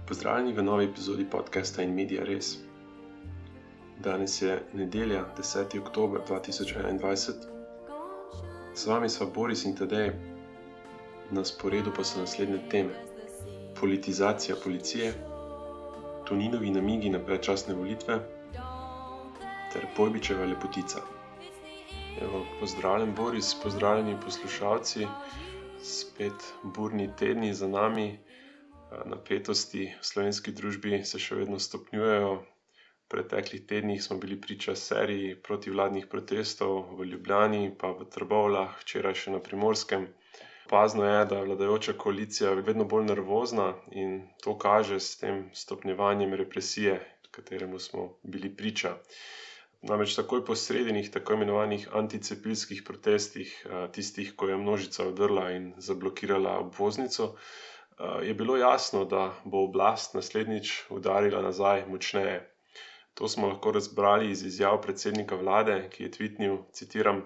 Pozdravljeni v novi epizodi podcasta In Media Res. Danes je nedelja, 10. oktober 2021. Z vami sva Boris in Tadej. Na sporedu pa so naslednje teme: politizacija policije, Toninovi namigi na predčasne volitve ter Pojbičeva lepotica. Pozdravljen Boris, pozdravljeni poslušalci. Spet burni tedni za nami. Napetosti v slovenski družbi se še vedno stopnjujejo. V preteklih tednih smo bili priča seriji protivladnih protestov v Ljubljani, pa v Trbovljah, včeraj še na Primorskem. Opazno je, da je vladajoča koalicija vedno bolj nervozna in to kaže s tem stopnjevanjem represije, kateremu smo bili priča. Namreč takoj po sredinih tako imenovanih anticepilskih protestih, tistih, ko je množica vdrla in zablokirala obvoznico, je bilo jasno, da bo oblast naslednjič udarila nazaj močneje. To smo lahko razbrali iz izjav predsednika vlade, ki je tvitnil, citiram: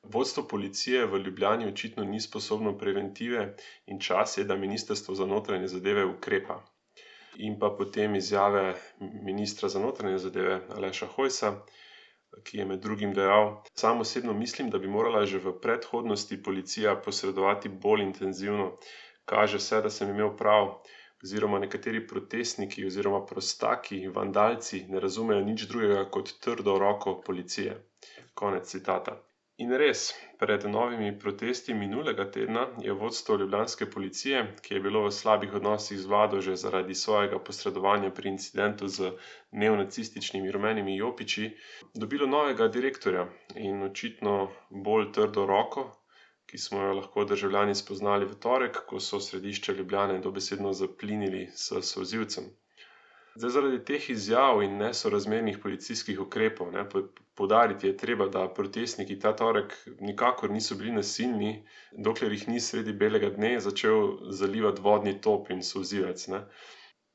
"Vodstvo policije v Ljubljani očitno ni sposobno preventive in čas je, da Ministrstvo za notranje zadeve ukrepa." In pa potem izjave ministra za notranje zadeve Aleša Hojsa, ki je med drugim dejal: "Sam osebno mislim, da bi morala že v predhodnosti policija posredovati bolj intenzivno. Kaže se, da sem imel prav, oziroma nekateri protestniki oziroma prostaki, vandalci ne razumejo nič drugega kot trdo roko policije." Konec citata. In res, pred novimi protesti minulega tedna je vodstvo ljubljanske policije, ki je bilo v slabih odnosih z vlado že zaradi svojega posredovanja pri incidentu z neonacističnimi rumenimi jopiči, dobilo novega direktorja in očitno bolj trdo roko, ki smo jo lahko državljani spoznali v torek, ko so središče Ljubljane dobesedno zaplinili s solzivcem. Zaradi teh izjav in nesorazmernih policijskih ukrepov, poudariti je treba, da protestniki ta torek nikakor niso bili nasilni, dokler jih ni sredi belega dne začel zalivati vodni top in solzivec.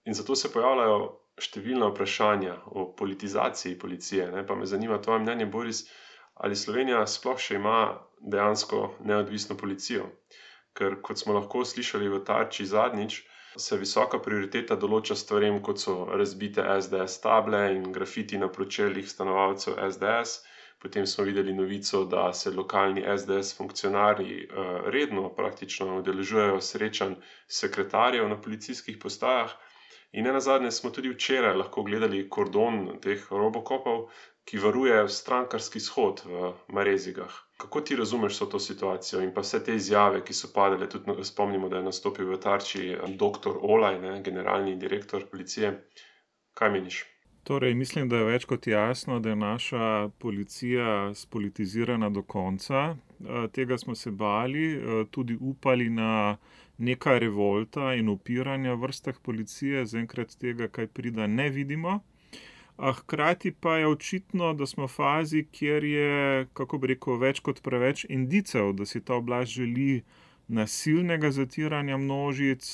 In zato se pojavljajo številna vprašanja o politizaciji policije. Pa me zanima tvoje mnenje, Boris, ali Slovenija sploh še ima dejansko neodvisno policijo? Ker, kot smo lahko slišali v Tarči zadnjič, se visoka prioriteta določa stvarem, kot so razbite SDS table in grafiti na pročeljih stanovalcev SDS. Potem smo videli novico, da se lokalni SDS funkcionarji redno praktično udeležujejo srečanj sekretarjev na policijskih postajah. In nenazadnje smo tudi včeraj lahko gledali kordon teh robokopov, ki varuje strankarski shod v Marezigah. Kako ti razumeš vso to situacijo in pa vse te izjave, ki so padale? Tudi spomnimo, da je nastopil v Tarči dr. Olaj, generalni direktor policije. Kaj meniš? Torej, mislim, da je več kot jasno, da je naša policija spolitizirana do konca. Tega smo se bali, tudi upali na nekaj revolta in upiranja v vrstah policije. Zaenkrat tega kaj prida ne vidimo. Hkrati pa je očitno, da smo v fazi, kjer je, kako bi rekel, več kot preveč indicev, da si ta oblast želi nasilnega zatiranja množic,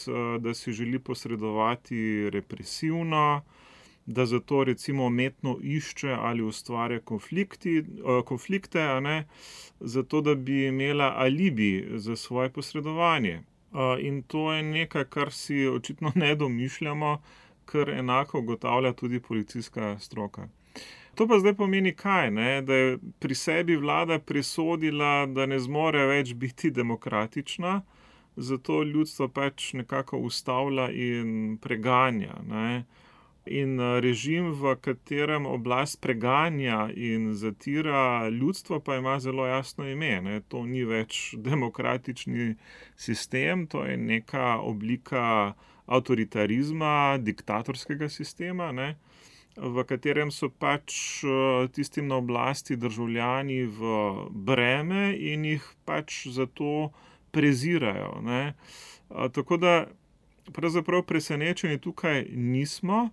da si želi posredovati represivno, da zato recimo umetno išče ali ustvarja konflikte, zato da bi imela alibi za svoje posredovanje. In to je nekaj, kar si očitno ne domišljamo, kar enako ugotavlja tudi policijska stroka. To pa zdaj pomeni kaj? Da je pri sebi vlada presodila, da ne zmore več biti demokratična, zato ljudstvo pač nekako ustavlja in preganja. In režim, v katerem oblast preganja in zatira ljudstvo, pa ima zelo jasno ime. To ni več demokratični sistem, to je neka oblika avtoritarizma, diktatorskega sistema, v katerem so pač tistim na oblasti državljani v breme in jih pač zato prezirajo. Tako da pravzaprav presenečeni tukaj nismo,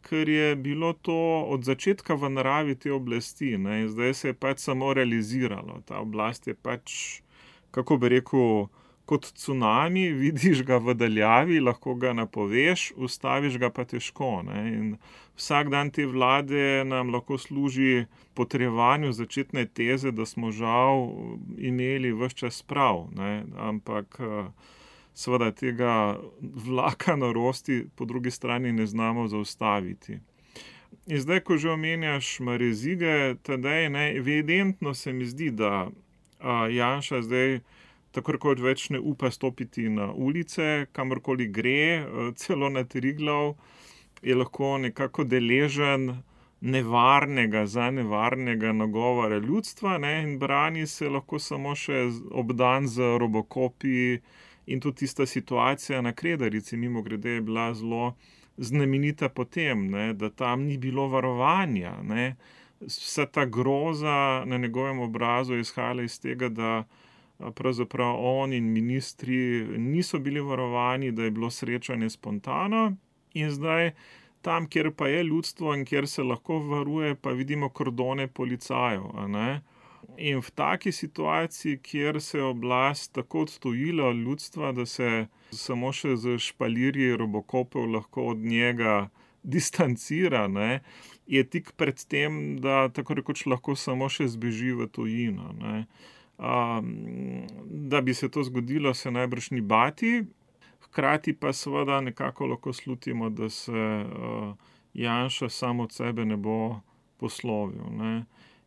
ker je bilo to od začetka v naravi te oblasti, in zdaj se je pač samo realiziralo. Ta oblast je pač, kako bi rekel, kot cunami, vidiš ga v daljavi, lahko ga napoveš, ustaviš ga pa težko. In vsak dan te vlade nam lahko služi potrjevanju začetne teze, da smo žal imeli ves čas prav. Ampak seveda tega vlaka norosti po drugi strani ne znamo zaustaviti. In zdaj, ko že omenjaš Marezige, Tadej, evidentno se mi zdi, da Janša zdaj tako kot več ne upa stopiti na ulice, kamorkoli gre, celo na Triglav, je lahko nekako deležen nevarnega nagovora ljudstva, in brani se lahko samo še obdan z robokopi. In tudi tista situacija na Kredarici, mimogrede, je bila zelo znamenita po tem, da tam ni bilo varovanja. Vsa ta groza na njegovem obrazu je izhajala iz tega, da pravzaprav on in ministri niso bili varovani, da je bilo srečanje spontano. In zdaj tam, kjer pa je ljudstvo in kjer se lahko varuje, pa vidimo kordone policajev. In v taki situaciji, kjer se je oblast tako odtujila od ljudstva, da se samo še z špalirji robokopov lahko od njega distancira, je tik pred tem, da tako rekoč lahko samo še zbeži v tujino. Da bi se to zgodilo, se najbrž ni bati, hkrati pa seveda nekako lahko slutimo, da se Janša sam od sebe ne bo poslovil.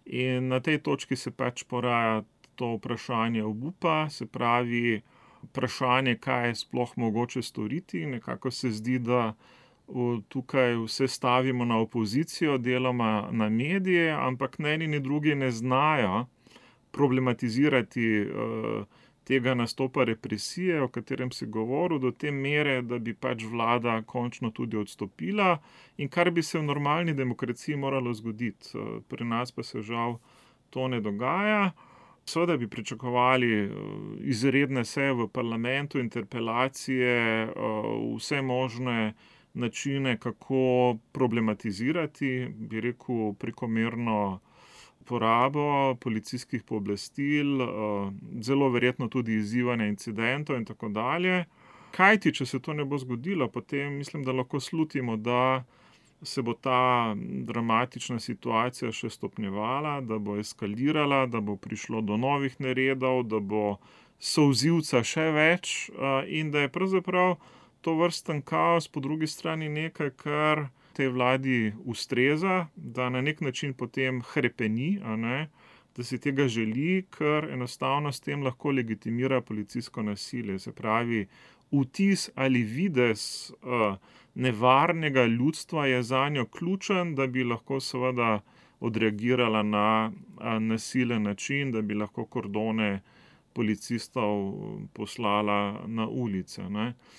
In na tej točki se pač poraja to vprašanje obupa, se pravi vprašanje, kaj je sploh mogoče storiti. Nekako se zdi, da tukaj vse stavimo na opozicijo, deloma na medije, ampak ne eni ne drugi ne znajo problematizirati tega nastopa represije, o katerem si govoril, do te mere, da bi pač vlada končno tudi odstopila, in kar bi se v normalni demokraciji moralo zgoditi. Pri nas pa se žal to ne dogaja. Seveda bi pričakovali izredne seje v parlamentu, interpelacije, vse možne načine, kako problematizirati, bi rekel, prekomerno porabo policijskih pooblastil, zelo verjetno tudi izzivanje incidentov in tako dalje. Kajti, če se to ne bo zgodilo, potem mislim, da lahko slutimo, da se bo ta dramatična situacija še stopnjevala, da bo eskalirala, da bo prišlo do novih neredov, da bo solzivca še več, in da je pravzaprav tovrsten kaos po drugi strani nekaj, kar tej vladi ustreza, da na nek način potem hrepeni, da si tega želi, ker enostavno s tem lahko legitimira policijsko nasilje. Se pravi, vtis ali videz nevarnega ljudstva je zanjo ključen, da bi lahko seveda odreagirala na nasilen način, da bi lahko kordone policistov poslala na ulice.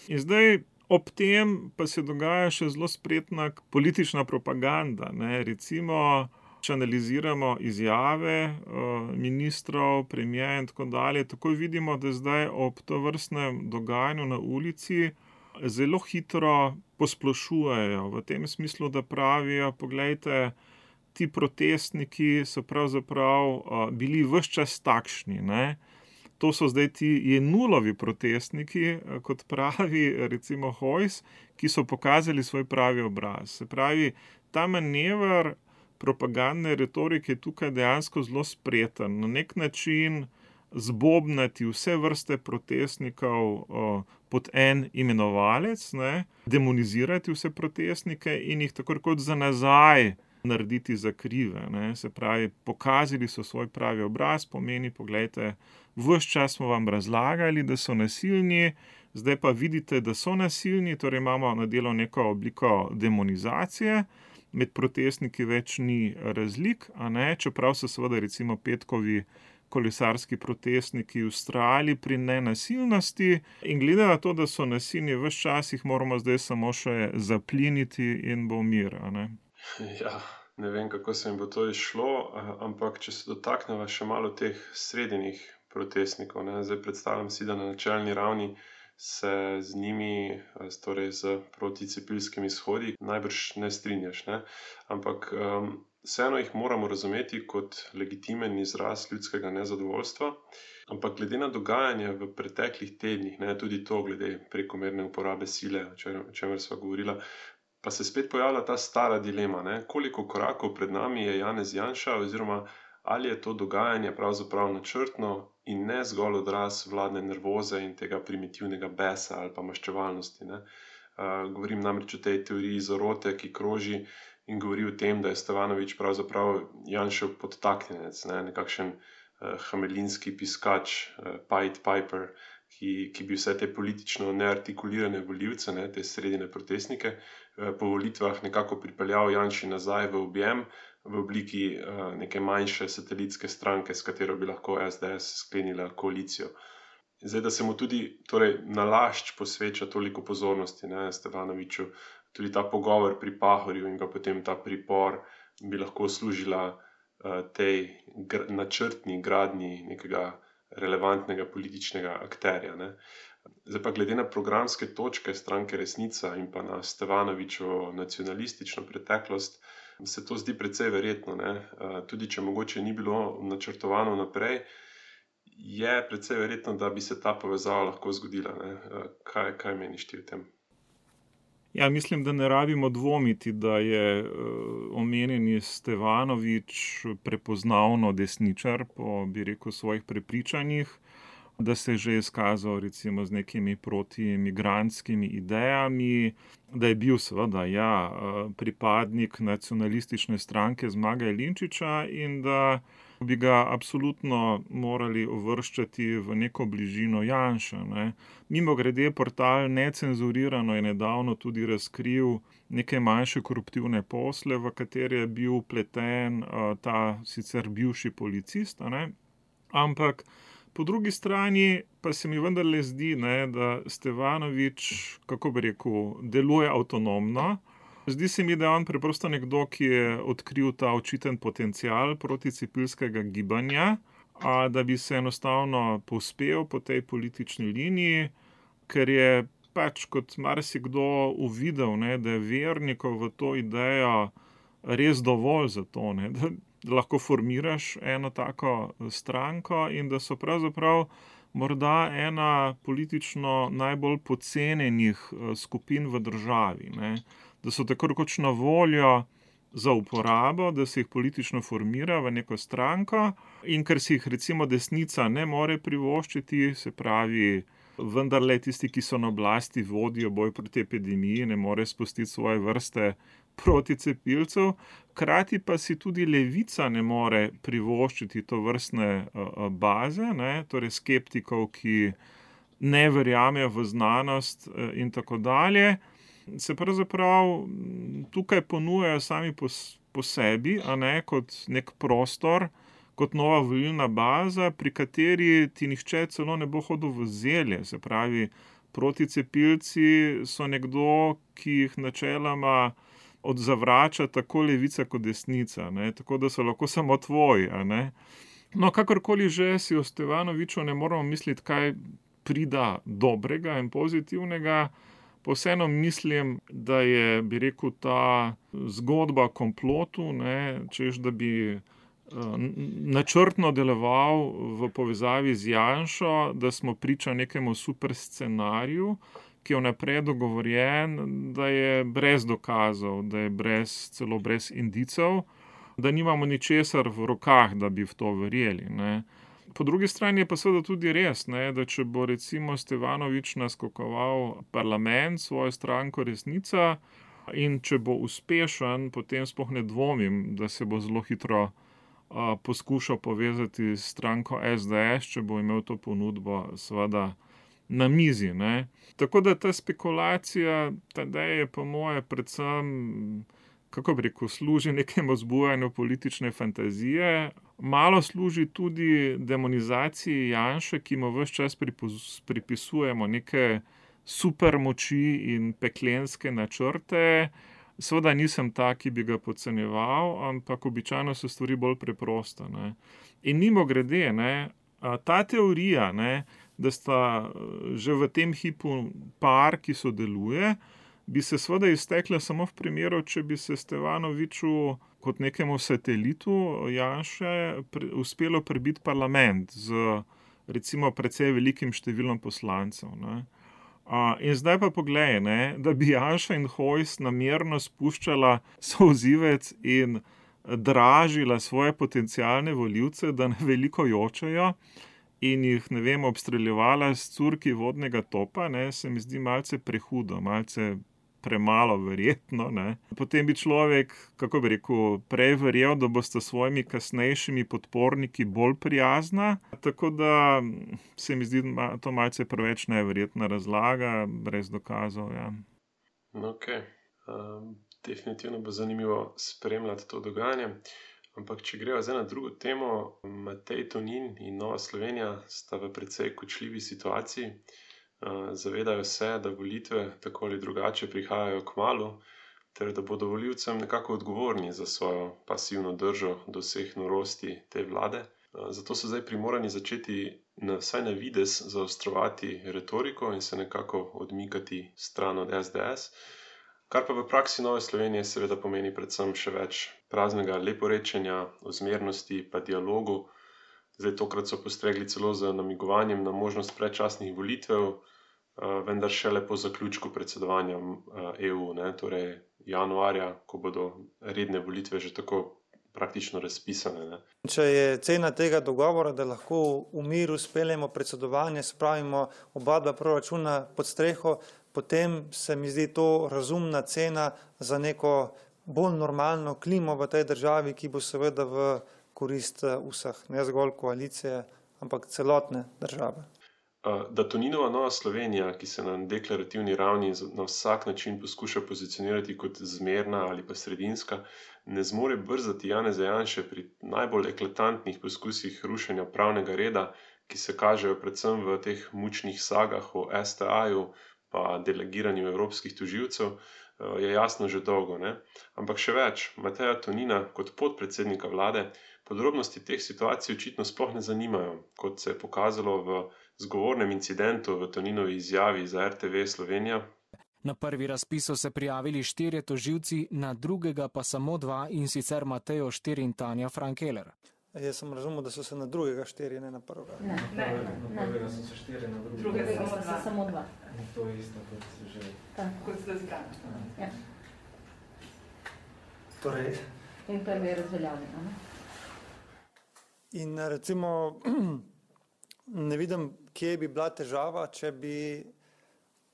In zdaj ob tem pa se dogaja še zelo spretna politična propaganda. Recimo, če analiziramo izjave ministrov, premierja in tako dalje, takoj vidimo, da zdaj ob tovrstnem dogajanju na ulici zelo hitro posplošujejo. V tem smislu, da pravijo, poglejte, ti protestniki so pravzaprav bili ves čas takšni. To so zdaj ti Jenulovi protestniki, kot pravi recimo Hojs, ki so pokazali svoj pravi obraz. Se pravi, ta manever propagandne retorike je tukaj dejansko zelo spreten. Na nek način zbobnati vse vrste protestnikov pod en imenovalec, demonizirati vse protestnike in jih tako kot za nazaj narediti za krive. Se pravi, pokazali so svoj pravi obraz, pomeni, poglejte, ves čas smo vam razlagali, da so nasilni, zdaj pa vidite, da so nasilni, torej imamo na delu neko obliko demonizacije, med protestniki več ni razlik, čeprav so seveda recimo petkovi kolesarski protestniki vztrajali pri nenasilnosti, in glede na to, da so nasilni ves čas, jih moramo zdaj samo še zapliniti in bo mir. Ja, ne vem, kako se jim bo to izšlo, ampak če se dotaknemo še malo teh srednjih protestnikov, zdaj predstavljam si, da na načelni ravni se z njimi, torej z proticepilskimi shodi, najbrž ne strinjaš, ampak vseeno jih moramo razumeti kot legitimen izraz ljudskega nezadovoljstva, ampak glede na dogajanje v preteklih tednih, tudi to glede prekomerne uporabe sile, o čemer sva govorila, pa se spet pojavlja ta stara dilema, koliko korakov pred nami je Janez Janša oziroma ali je to dogajanje pravzaprav načrtno in ne zgolj odraz vladne nervoze in tega primitivnega besa ali pa maščevalnosti. Ne. Govorim namreč o tej teoriji zarote, ki kroži in govori o tem, da je Stevanović pravzaprav Janšev podtaknjenec, nekakšen hamelinski piskač, Pied Piper, ki bi vse te politično neartikulirane volivce, te sredine protestnike, po volitvah nekako pripeljal Janši nazaj v objem v obliki neke manjše satelitske stranke, s katero bi lahko SDS sklenila koalicijo. Zdaj, da se mu tudi nalašč posveča toliko pozornosti Stevanoviću, tudi ta pogovor pri Pahorju in pa potem ta pripor bi lahko služila tej načrtni gradnji nekega relevantnega političnega akterja. Zdaj pa glede na programske točke stranke Resnica in pa na Stevanovićevo nacionalistično preteklost, se to zdi precej verjetno. Tudi če mogoče ni bilo načrtovano naprej, je precej verjetno, da bi se ta povezava lahko zgodila. Kaj meniš ti o tem? Ja, mislim, da ne rabimo dvomiti, da je omenjeni Stevanović prepoznavno desničar po, bi rekel, svojih prepričanjih, da se je že izkazal recimo z nekimi protimigrantskimi idejami, da je bil seveda pripadnik nacionalistične stranke Zmaga Jelinčiča in da bi ga absolutno morali uvrščati v neko bližino Janše. Mimogrede, portal Necenzurirano je nedavno tudi razkril neke manjše koruptivne posle, v katere je bil vpleten ta sicer bivši policist, ampak po drugi strani pa se mi vendarle zdi, da Stevanović, kako bi rekel, deluje avtonomno. Zdi se mi, da je on preprosto nekdo, ki je odkril ta očiten potencial proticepilskega gibanja, da bi se enostavno povzpel po tej politični liniji, ker je pač kot marsikdo uvidel, da je vernikov v to idejo res dovolj za to, da lahko formiraš eno tako stranko in da so pravzaprav morda ena politično najbolj podcenjenih skupin v državi, da so tako rekoč na voljo za uporabo, da se jih politično formira v neko stranko in ker si jih recimo desnica ne more privoščiti, se pravi, vendarle tisti, ki so na oblasti, vodijo boj proti epidemiji, ne more spustiti svoje vrste proti cepilcev, hkrati pa si tudi levica ne more privoščiti to vrstne baze, torej skeptikov, ki ne verjamejo v znanost in tako dalje, se pravzaprav tukaj ponujajo sami po sebi, kot nek prostor, kot nova volilna baza, pri kateri ti nihče celo ne bo hodil v zelje. Se pravi, proticepilci so nekdo, ki jih načeloma odzavrača tako levica kot desnica, tako da so lahko samo tvoji. No, kakorkoli že, si o Stevanoviću ne moramo misliti, kaj prida dobrega in pozitivnega. Pa vseeno mislim, da je, bi rekel, ta zgodba o komplotu, češ da bi načrtno deloval v povezavi z Janšo, da smo priča nekemu super scenariju, ki je vnaprej dogovorjen, da je brez dokazov, da je celo brez indicev, da nimamo ničesar v rokah, da bi v to verjeli. Po drugi strani je pa seveda tudi res, da če bo recimo Stevanović naskakoval parlament, svojo stranko Resnica, in če bo uspešen, potem sploh ne dvomim, da se bo zelo hitro poskušal povezati s stranko SDS, če bo imel to ponudbo seveda na mizi. Tako da ta spekulacija, ta ideja je po moje predvsem, kako bi rekel, služi nekemu zbujanju politične fantazije, malo služi tudi demonizaciji Janše, ki mu ves čas pripisujemo neke supermoči in peklenske načrte. Seveda nisem ta, ki bi ga podcenjeval, ampak običajno so stvari bolj preproste. In mimogrede, ta teorija, da sta že v tem hipu par, ki sodeluje, bi se seveda iztekla samo v primeru, če bi se Stevanoviću kot nekemu satelitu Janše uspelo prebiti parlament z recimo precej velikim številom poslancev. In zdaj pa poglej, da bi Janša in Hojs namerno spuščala solzivec in dražila svoje potencialne volivce, da ne veliko jočejo in jih, ne vem, obstreljevala s curki vodnega topa, ne, se mi zdi malce prehudo, malce premalo verjetno, ne. Potem bi človek, kako bi rekel, prej verjel, da bosta s svojimi kasnejšimi podporniki bolj prijazna, tako da se mi zdi to malce preveč neverjetna razlaga, brez dokazov, ja. Okej. Definitivno bo zanimivo spremljati to dogajanje. Ampak če greva zdaj na drugo temo, Matej Tonin in Nova Slovenija sta v precej kočljivi situaciji. Zavedajo se, da volitve tako ali drugače prihajajo kmalu, ter da bodo volivcem nekako odgovorni za svojo pasivno držo do vseh norosti te vlade. Zato so zdaj primorani začeti vsaj na videz zaostrovati retoriko in se nekako odmikati stran od SDS, kar pa v praksi Nove Slovenije seveda pomeni predvsem še več praznega leporečenja, o zmernosti pa dialogu. Zdaj tokrat so postregli celo z namigovanjem na možnost predčasnih volitev, vendar šele po zaključku predsedovanja EU, ne, torej januarja, ko bodo redne volitve že tako praktično razpisane, ne. Če je cena tega dogovora, da lahko v miru speljemo predsedovanje, spravimo oba dva proračuna pod streho, potem se mi zdi to razumna cena za neko bolj normalno klimo v tej državi, ki bo seveda v korist vseh, ne zgolj koalicije, ampak celotne države. Da Toninova Nova Slovenija, ki se na deklarativni ravni na vsak način poskuša pozicionirati kot zmerna ali pa sredinska, ne zmore brzdati Janeza Janše pri najbolj eklatantnih poskusih rušenja pravnega reda, ki se kažejo predvsem v teh mučnih sagah o STA-ju pa delegiranju evropskih tožilcev, je jasno že dolgo, ne? Ampak še več, Mateja Tonina kot podpredsednika vlade podrobnosti teh situacij očitno sploh ne zanimajo, kot se je pokazalo v zgovornem incidentu v Toninovi izjavi za RTV Slovenija. Na prvi razpis so se prijavili 4 tožilci, na drugega pa samo 2, in sicer Matejo Štir in Tanja Frankeler. Jaz sem razumel, da so se na drugega 4, ne na prvega. Ne. Na prvega so se 4, na Drugega so se samo 2. To je isto, kot se že... Kot ste zbrani. Ja. Torej... In prvi je razveljavljeno, ne? In recimo, ne vidim, kje bi bila težava, če bi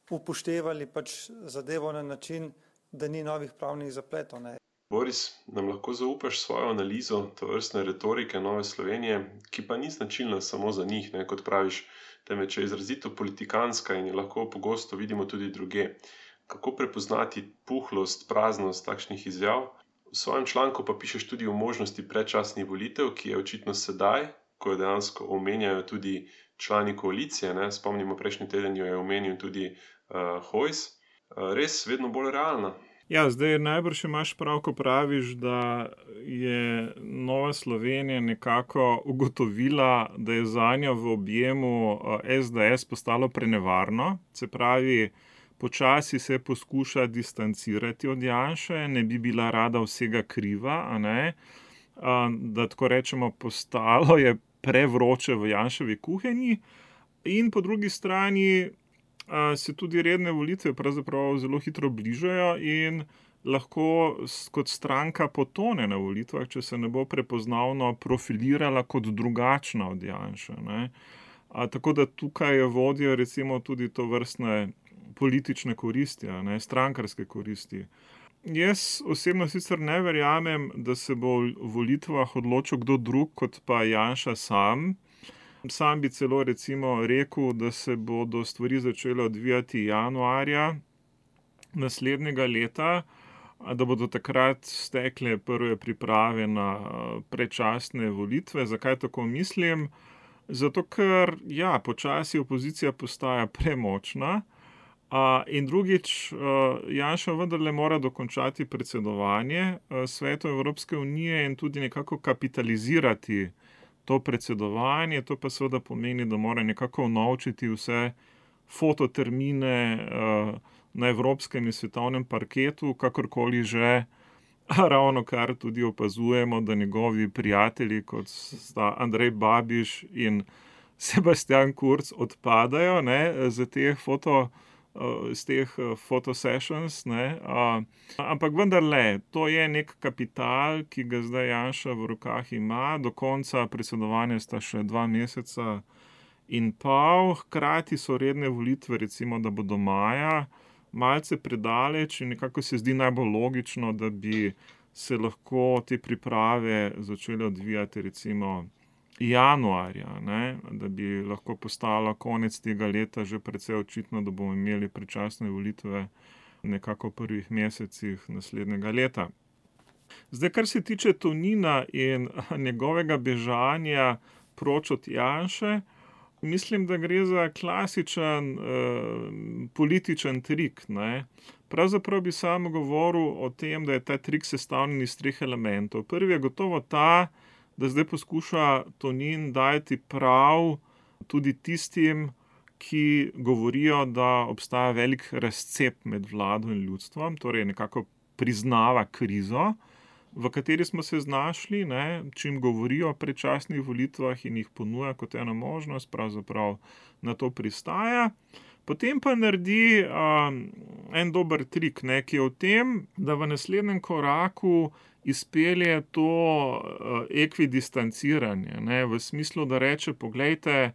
upoštevali pač zadevo na način, da ni novih pravnih zapletov, ne. Boris, nam lahko zaupaš svojo analizo tovrstne retorike Nove Slovenije, ki pa ni značilna samo za njih, ne, kot praviš, temveč je izrazito politikanska in jo lahko pogosto vidimo tudi drugje. Kako prepoznati puhlost, praznost takšnih izjav? V svojem članku pa pišeš tudi o možnosti predčasnih volitev, ki je očitno sedaj, ko jo dejansko omenjajo tudi člani koalicije, ne, spomnimo, prejšnji teden jo je omenil tudi Hojs, res vedno bolj realna. Ja, zdaj najbrž imaš prav, ko praviš, da je Nova Slovenija nekako ugotovila, da je zanjo v objemu SDS postalo prenevarno, se pravi, počasi se poskuša distancirati od Janše, ne bi bila rada vsega kriva, a ne, da tako rečemo, postalo je prevroče v Janševi kuhinji, in po drugi strani se tudi redne volitve pravzaprav zelo hitro bližajo in lahko kot stranka potone na volitvah, če se ne bo prepoznavno profilirala kot drugačna od Janše, ne. Tako da tukaj vodijo recimo tudi tovrstne politične koristi, ne, strankarske koristi. Jaz osebno sicer ne verjamem, da se bo v volitvah odločil kdo drug kot pa Janša sam. Sam bi celo recimo rekel, da se bodo stvari začele odvijati januarja naslednjega leta, da bodo takrat stekle prve priprave na predčasne volitve. Zakaj tako mislim? Zato ker, ja, počasi opozicija postaja premočna, in drugič, Janša vendarle mora dokončati predsedovanje Svetu Evropske unije in tudi nekako kapitalizirati to predsedovanje. To pa seveda pomeni, da mora nekako unovčiti vse fototermine na evropskem in svetovnem parketu, kakorkoli že. Ravno kar tudi opazujemo, da njegovi prijatelji, kot sta Andrej Babiš in Sebastian Kurz, odpadajo, ne, z teh fotosessions, ne, ampak vendarle, to je nek kapital, ki ga zdaj Janša v rokah ima, do konca predsedovanja sta še 2 meseca in pol, hkrati so redne volitve, recimo, da bodo maja, malce predaleč in nekako se zdi najbolj logično, da bi se lahko te priprave začele odvijati recimo januarja, ne? Da bi lahko postalo konec tega leta že precej očitno, da bomo imeli predčasne volitve nekako v prvih mesecih naslednjega leta. Zdaj, kar se tiče Tonina in njegovega bežanja proč od Janše, mislim, da gre za klasičen političen trik, ne. Pravzaprav bi sam govoril o tem, da je ta trik sestavljen iz 3 elementov. Prvi je gotovo ta, da zdaj poskuša Tonin dajati prav tudi tistim, ki govorijo, da obstaja velik razcep med vlado in ljudstvom, torej nekako priznava krizo, v kateri smo se znašli, ne, čim govorijo o predčasnih volitvah in jih ponuja kot eno možnost, pravzaprav na to pristaja. Potem pa naredi en dober trik, ne, ki je v tem, da v naslednjem koraku izpelje to ekvidistanciranje, ne, v smislu, da reče, poglejte,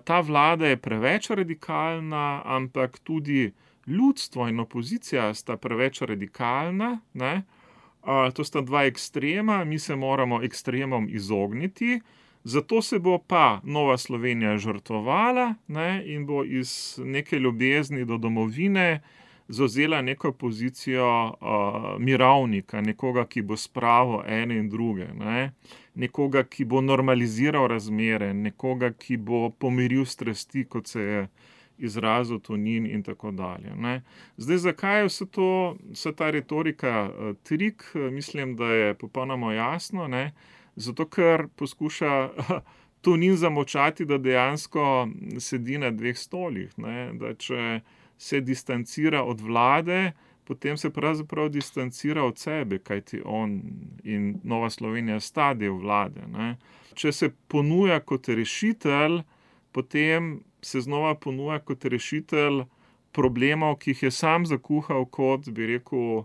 ta vlada je preveč radikalna, ampak tudi ljudstvo in opozicija sta preveč radikalna, ne. To sta 2 ekstrema, mi se moramo ekstremom izogniti, zato se bo pa Nova Slovenija žrtvovala, ne, in bo iz neke ljubezni do domovine zavzela neko pozicijo mirovnika, nekoga, ki bo spravil ene in druge, ne, nekoga, ki bo normaliziral razmere, nekoga, ki bo pomiril strasti, kot se je izrazil Tonin in tako dalje, ne. Zdaj, zakaj je vsa ta retorika trik, mislim, da je popolnoma jasno, ne, zato ker poskuša Tonin zamolčati, da dejansko sedi na 2 stolih, ne, da če se distancira od vlade, potem se pravzaprav distancira od sebe, kajti on in Nova Slovenija sta del vlade, ne. Če se ponuja kot rešitelj, potem se znova ponuja kot rešitelj problemov, ki jih je sam zakuhal kot, bi rekel,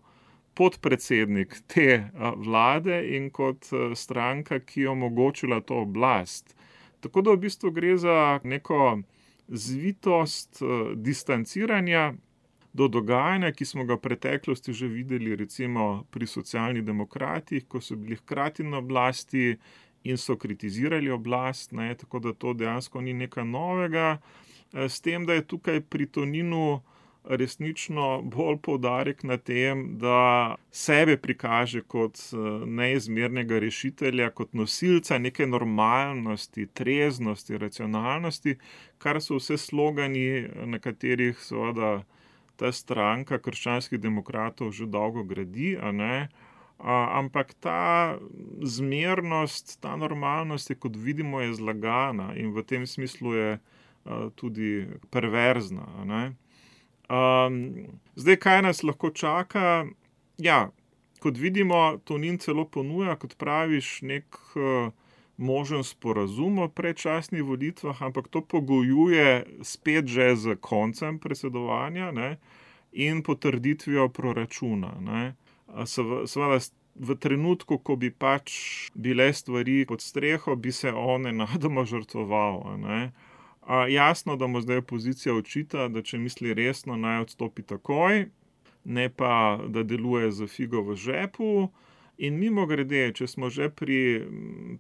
podpredsednik te vlade in kot stranka, ki je omogočila to oblast. Tako da v bistvu gre za neko zvitost distanciranja do dogajanja, ki smo ga v preteklosti že videli recimo pri Socialnih demokratih, ko so bili hkrati na oblasti in so kritizirali oblast, ne, tako da to dejansko ni nekaj novega, s tem, da je tukaj pri Toninu resnično bolj poudarek na tem, da sebe prikaže kot neizmernega rešitelja, kot nosilca neke normalnosti, treznosti, racionalnosti, kar so vse slogani, na katerih seveda ta stranka krščanskih demokratov že dolgo gradi, a ne. Ampak ta zmernost, ta normalnost je, kot vidimo, je zlagana in v tem smislu je tudi perverzna, a ne. Zdaj, kaj nas lahko čaka? Ja, kot vidimo, Tonin celo ponuja, kot praviš, nek možen sporazum o predčasnih volitvah, ampak to pogojuje spet že z koncem predsedovanja, ne, in potrditvijo proračuna, ne. Seveda v trenutku, ko bi pač bile stvari pod streho, bi se on nenadoma žrtvoval, a ne. Jasno, da mu zdaj opozicija očita, da če misli resno, naj odstopi takoj, ne pa, da deluje z figo v žepu. In mimogrede, če smo že pri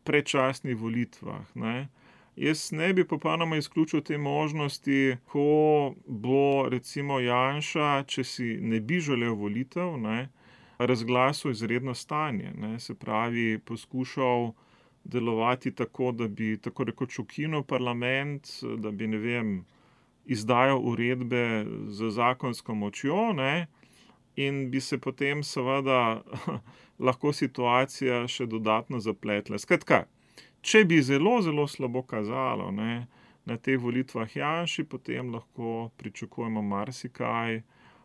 predčasnih volitvah, ne, jaz ne bi popolnoma izključil te možnosti, ko bo recimo Janša, če si ne bi želel volitev, ne, razglasil izredno stanje, ne, se pravi, poskušal delovati tako, da bi tako rekoč ukinil parlament, da bi, ne vem, izdajal uredbe z zakonsko močjo, ne, in bi se potem seveda lahko situacija še dodatno zapletla. Skratka, če bi zelo, zelo slabo kazalo, ne, na teh volitvah Janši, potem lahko pričakujemo marsikaj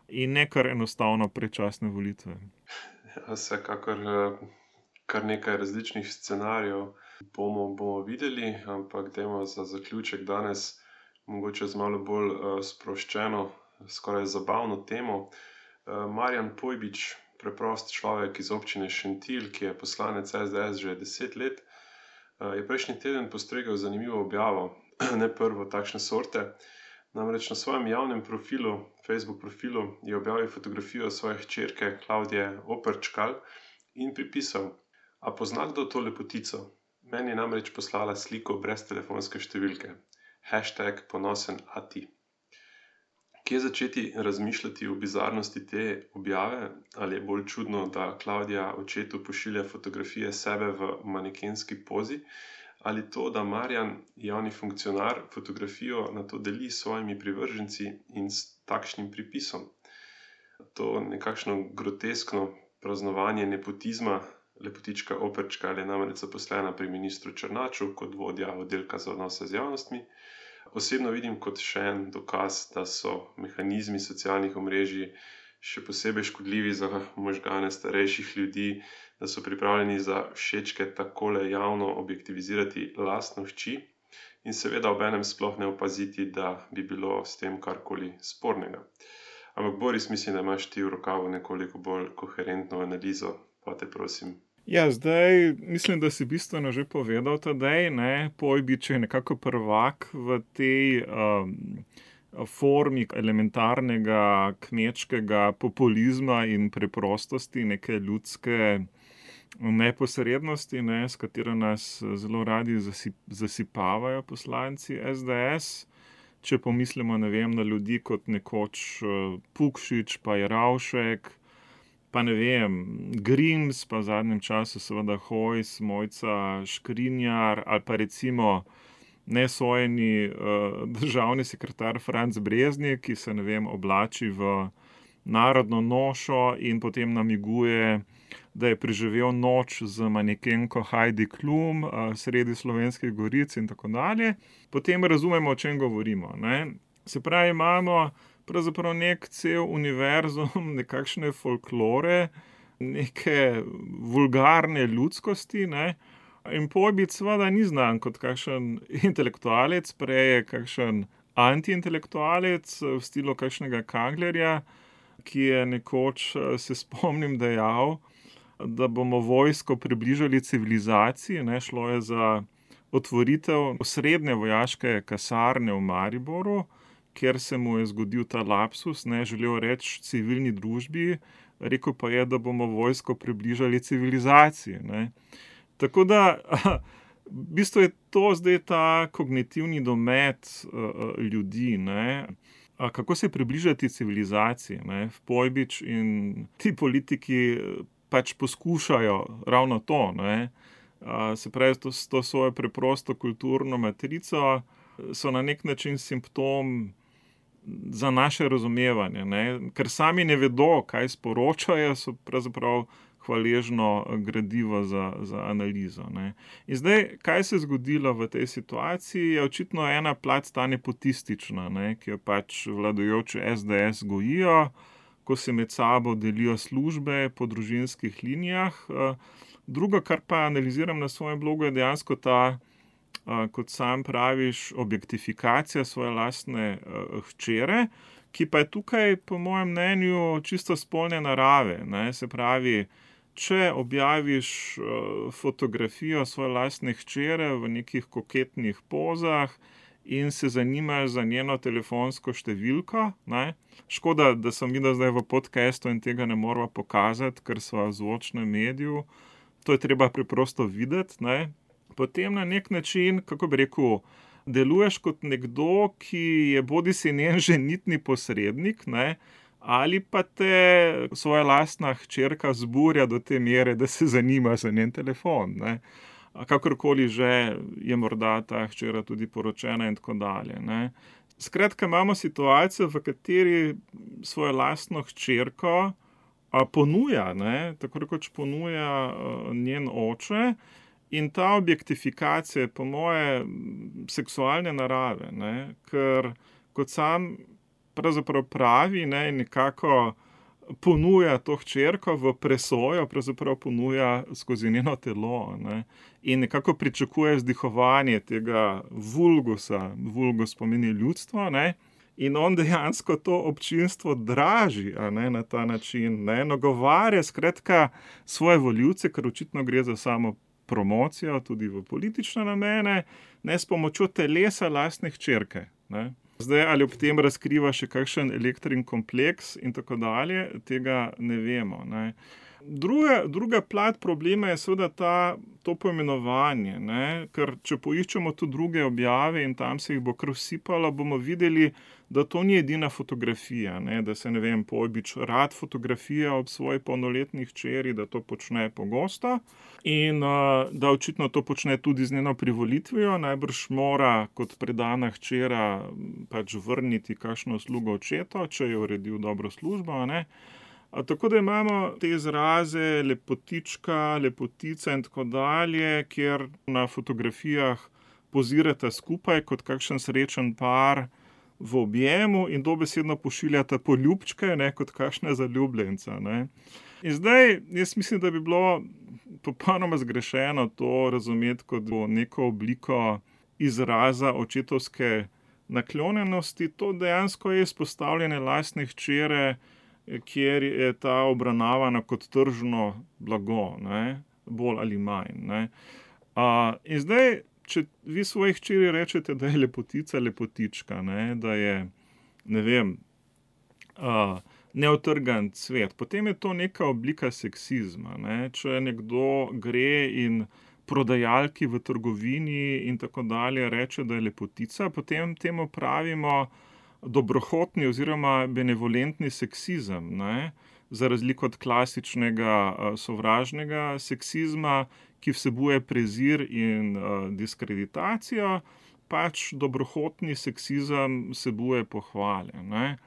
in ne kar enostavno predčasne volitve. Vsekakor kar nekaj različnih scenarijev bomo videli, ampak dajmo za zaključek danes mogoče z malo bolj sproščeno, skoraj zabavno temo. Marjan Pojbič, preprost človek iz občine Šentilj, ki je poslanec SDS že 10 let, je prejšnji teden postregel zanimivo objavo. ne prvo takšne sorte. Namreč na svojem javnem profilu, Facebook profilu, je objavil fotografijo svoje hčerke Klaudije Operčkal in pripisal: "A pozna kdo to lepotico? Meni je namreč poslala sliko brez telefonske številke. #ponosen ati." Kje začeti razmišljati o bizarnosti te objave? Ali je bolj čudno, da Klaudija očetu pošilja fotografije sebe v manekenski pozi? Ali to, da Marjan, javni funkcionar, fotografijo nato deli s svojimi privrženci in s takšnim pripisom? To nekakšno groteskno praznovanje nepotizma. Lepotička Operčkal je namreč zaposlena pri ministru Černaču kot vodja oddelka za odnose z javnostmi. Osebno vidim kot še en dokaz, da so mehanizmi socialnih omrežij še posebej škodljivi za možgane starejših ljudi, da so pripravljeni za všečke takole javno objektivizirati lastno hči in seveda obenem sploh ne opaziti, da bi bilo s tem karkoli spornega. Ampak Boris, mislim, da imaš ti v rokavu nekoliko bolj koherentno analizo, pa te prosim. Ja, zdaj mislim, da si bistveno že povedal Tadej, ne, Pojbič je nekako prvak v tej formi elementarnega kmečkega populizma in preprostosti, neke ljudske neposrednosti, ne, s katero nas zelo radi zasipavajo poslanci SDS. Če pomislimo, ne vem, na ljudi kot nekoč Pukšič, pa Jeravšek, pa ne vem, Grims, pa v zadnjem času seveda Hojs, Mojca Škrinjar, ali pa recimo nesojeni državni sekretar Franc Breznik, ki se, ne vem, oblači v narodno nošo in potem namiguje, da je preživel noč z manekenko Heidi Klum sredi Slovenskih goric in tako dalje, potem razumemo, o čem govorimo, ne. Se pravi, imamo pravzaprav nek cel univerzum nekakšne folklore, neke vulgarne ljudskosti, ne. In Pojbič seveda ni znan kot kakšen intelektualec, prej je kakšen antiintelektualec v stilu kakšnega Kanglerja, ki je nekoč, se spomnim, dejal, da bomo vojsko približali civilizaciji, ne, šlo je za otvoritev srednje vojaške kasarne v Mariboru, kjer se mu je zgodil ta lapsus, ne, želel reči civilni družbi, rekel pa je, da bomo vojsko približali civilizaciji, ne. Tako da, v bistvu je to zdaj ta kognitivni domet ljudi, ne. Kako se približati civilizaciji, ne. Pojbič in ti politiki pač poskušajo ravno to, ne. Se pravi, s to svojo preprosto kulturno matrico so na nek način simptom za naše razumevanje, ne. Ker sami ne vedo, kaj sporočajo, so pravzaprav hvaležno gradivo za analizo, ne. In zdaj, kaj se je zgodilo v tej situaciji, je očitno ena plat ta nepotistična, ne, ki jo pač vladajoči SDS gojijo, ko se med sabo delijo službe po družinskih linijah. Drugo, kar pa analiziram na svojem blogu, je dejansko ta, kot sam praviš, objektifikacija svoje lastne hčere, ki pa je tukaj, po mojem mnenju, čisto spolne narave, ne. Se pravi, če objaviš fotografijo svoje lastne hčere v nekih koketnih pozah in se zanimaš za njeno telefonsko številko, ne, škoda, da sem videl zdaj v podcastu in tega ne morava pokazati, ker sva v zvočnem mediju, to je treba preprosto videti, ne, potem na nek način, kako bi rekel, deluješ kot nekdo, ki je bodisi njen ženitni posrednik, ne, ali pa te svoja lastna hčerka zburja do te mere, da se zanima za njen telefon, ne. Kakorkoli že, je morda ta hčera tudi poročena in tako dalje, ne. Skratka, imamo situacijo, v kateri svojo lastno hčerko ponuja, ne, tako rekoč ponuja njen oče, in ta objektifikacija je po moje seksualne narave, ne, ker kot sam pravzaprav pravi, ne, nekako ponuja to hčerko v presojo, pravzaprav ponuja skozi njeno telo, ne, in nekako pričakuje vzdihovanje tega vulgusa, vulgus pomeni ljudstvo, ne, in on dejansko to občinstvo draži, a ne, na ta način, ne, nagovarja skratka svoje volivce, ker očitno gre za samo promocijo, tudi v politične namene, ne s pomočjo telesa lastne hčerke. Ne. Zdaj, ali ob tem razkriva še kakšen elektrin kompleks in tako dalje, tega ne vemo. Ne. Druga plat problema je seveda to poimenovanje, ne? Ker če poiščemo tu druge objave in tam se jih bo kar vsipalo, bomo videli, da to ni edina fotografija, ne? Da se, Pojbič rad fotografira ob svoji polnoletni hčeri, da to počne pogosto in da očitno to počne tudi z njeno privolitvijo, najbrž mora kot predana hčera pač vrniti kakšno uslugo očetu, če je uredil dobro službo, ne? Tako da imamo te izraze lepotička, lepotica in tako dalje, kjer na fotografijah pozirata skupaj kot kakšen srečen par v objemu in dobesedno pošiljata poljubčke, ne, kot kakšna zaljubljenca. Ne. In zdaj, jaz mislim, da bi bilo popolnoma zgrešeno to razumeti kot neko obliko izraza očetovske naklonjenosti. To dejansko je izpostavljanje lastne hčere, kjer je ta obravnavana kot tržno blago, ne, bolj ali manj. Ne. In zdaj, če vi svoji hčeri rečete, da je lepotica, lepotička, ne, da je, ne vem, neotrgan cvet, potem je to neka oblika seksizma. Ne. Če nekdo gre in prodajalki v trgovini in tako dalje reče, da je lepotica, potem temu pravimo dobrohotni oziroma benevolentni seksizem, ne? Za razliko od klasičnega sovražnega seksizma, ki vsebuje prezir in diskreditacijo, pač dobrohotni seksizem vsebuje pohvale. Ne?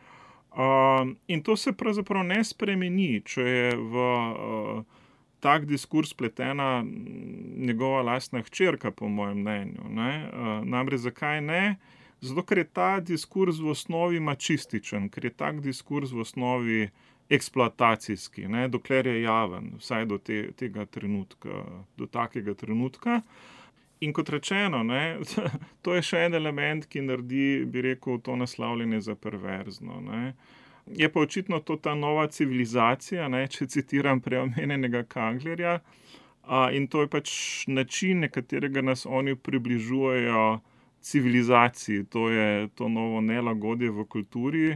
In to se pravzaprav ne spremeni, če je v tak diskurs pletena njegova lastna hčerka, po mojem mnenju. Ne? Namreč zakaj ne? Zato, ker je ta diskurs v osnovi mačističen, ker je tak diskurs v osnovi eksploatacijski, ne, dokler je javen, vsaj do tega trenutka, do takega trenutka. In kot rečeno, ne, to je še en element, ki naredi, bi rekel, to naslavljanje za perverzno. Ne. Je pa očitno to ta nova civilizacija, ne, če citiram preomenjenega Kanglerja, in to je pač način, na katerega nas oni približujejo civilizaciji, to je to novo nelagodje v kulturi.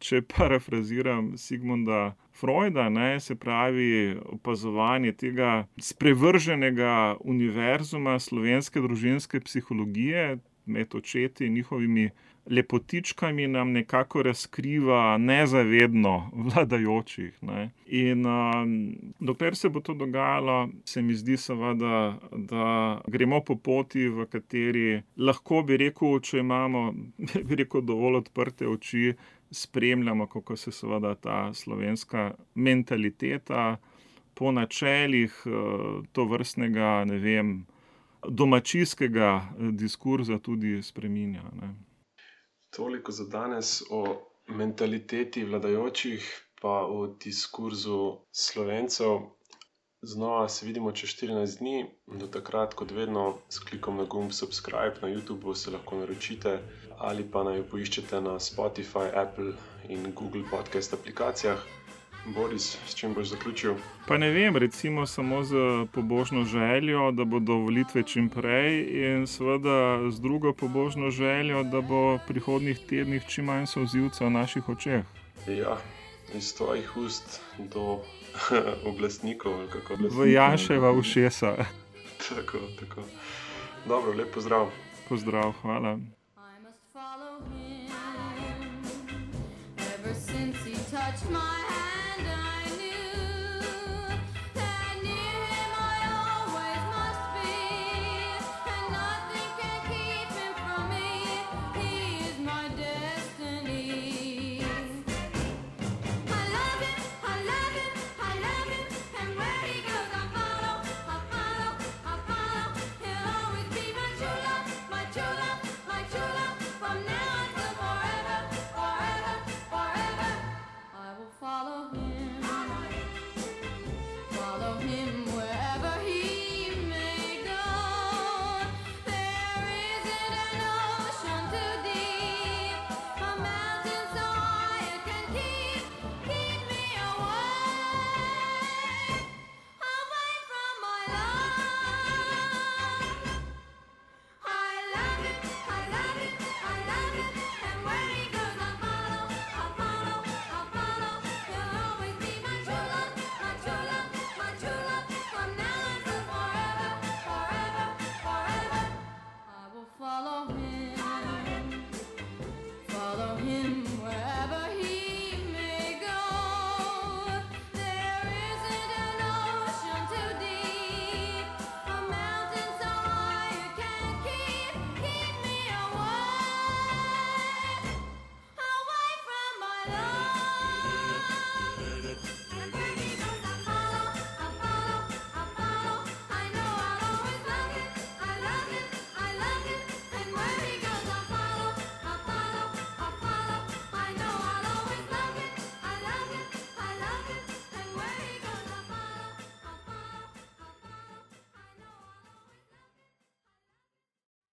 Če parafraziram Sigmunda Freuda, ne, se pravi opazovanje tega sprevrženega univerzuma slovenske družinske psihologije med očeti in njihovimi lepotičkami nam nekako razkriva nezavedno vladajočih. Ne. In dokler se bo to dogajalo, se mi zdi seveda, da gremo po poti, v kateri lahko, bi rekel, če imamo, bi rekel, dovolj odprte oči, spremljamo, kako se seveda ta slovenska mentaliteta po načelih tovrstnega, ne vem, domačijskega diskurza tudi spreminja. Ne. Toliko za danes o mentaliteti vladajočih, pa o diskurzu Slovencev. Znova se vidimo čez 14 dni, do takrat, kot vedno, s klikom na gumb subscribe na YouTube se lahko naročite ali pa naj jo poiščete na Spotify, Apple in Google podcast aplikacijah. Boris, s čim boš zaključil? Pa ne vem, recimo samo z pobožno željo, da bodo volitve čim prej in seveda z drugo pobožno željo, da bo v prihodnjih tednih čim manj solzivca v naših očeh. Ja, iz tvojih ust do oblastnikov. V Janševa ušesa. Tako. Dobro, lep pozdrav. Pozdrav, hvala. Touch my